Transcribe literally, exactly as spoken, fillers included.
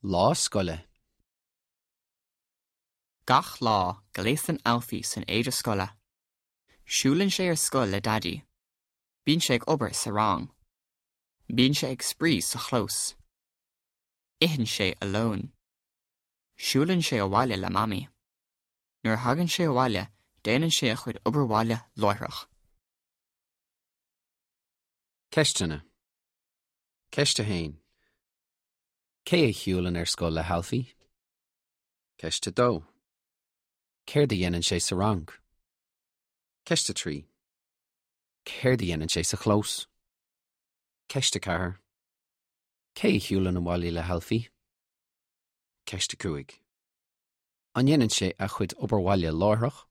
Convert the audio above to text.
Lá scoile. Gach lá gléasann Alfie san éide scoile. Siúlann sé ar scoil le Daidí. Bíonn sé ag obair sa rang. Bíonn sé ag spraoi sa chlós. Itheann sé a lón. Siúlann sé abhaile le Mamaí. Nuair a thagann sé abhaile, déanann sé a chuid obair bhaile láithreach. Ceisteanna. Ceist a haon. Cé a shiúlann ar scoil le hAlfie? Ceist a dó. Céard a dhéanann sé sa rang? Ceist a trí. Céard a dhéanann sé sa chlós? Ceist a ceathair. Cé a shiúlann abhaile le hAlfie? Ceist a cúig. An ndéanann sé a chuid obair bhaile láithreach?